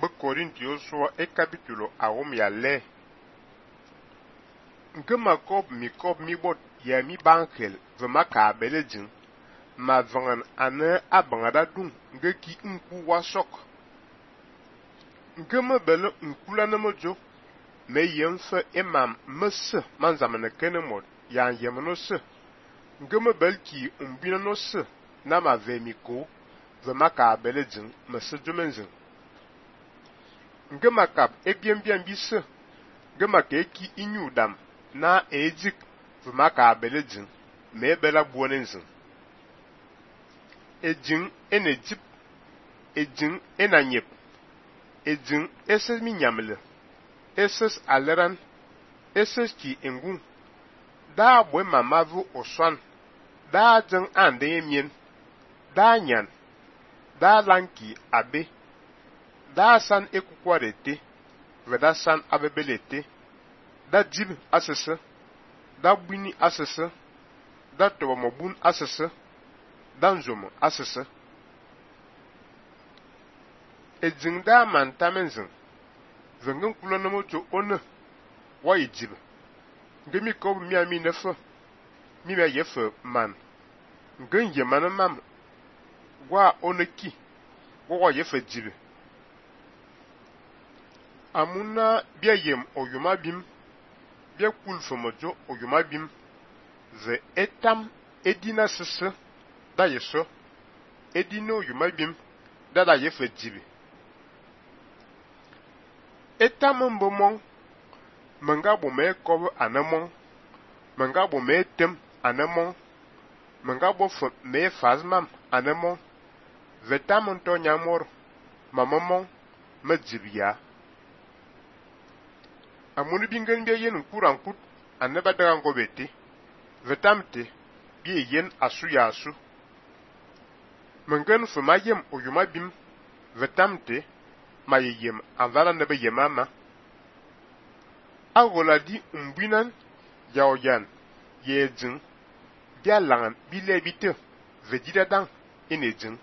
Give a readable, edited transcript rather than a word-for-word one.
Corintios e capítulo aum ya le. Nke Makob mi bot ya mi bankel ve maka belejin. Ma vangan ane abangada dung nge ki nku wasok. Nke me bele nkula na mojo. Me yemfe imam mese manzamene kene mod ya yemeno se. Nke me bel ki umbina no se na ma vemiko ve maka belejin mese jomenzin. Nge makap ebien bise nge maka eki inyu dam na ejik ve maka belejin me bela buonenzin. Ejin enejip, ejin enanyep, ejin eses minyamle, eses aleran, eses ki engun, da bwe mamavu oswan, da jeng ande emien, da nyan, da lanki abe, da san ekukwarete, ve da san abebelete, da jib asese, da bwini asese, da tobomobun asese, da nzomo asese. Ejin da mantamenzin, vengen kulonomocho one, wa ijib, nge mi kob mi nefe, mi me yefe man, ngen yemane mam, wa one ki, wa yefe jibe. Amuna bia yem oyuma bim, bia kulfomojo oyuma bim, ve etam edina sese, da yeso, edino oyuma bim, da yefe jibe. Etam mbomon, menga bo me kob anemon, menga bo me tem anemon, menga bo me fazmam anemon, vetam nto nyamor, mamamon, me jibya. Amuni bingen bia yen nkuran kut, aneba dagan gobete, vetamte, bia yen asu ya asu. Mengen fema yem oyuma bim, vetamte, ma yem anvala nebe yemama. Agola di umbinan, yaoyan, yejin, bia langan bile bite, vedida dang, inejin.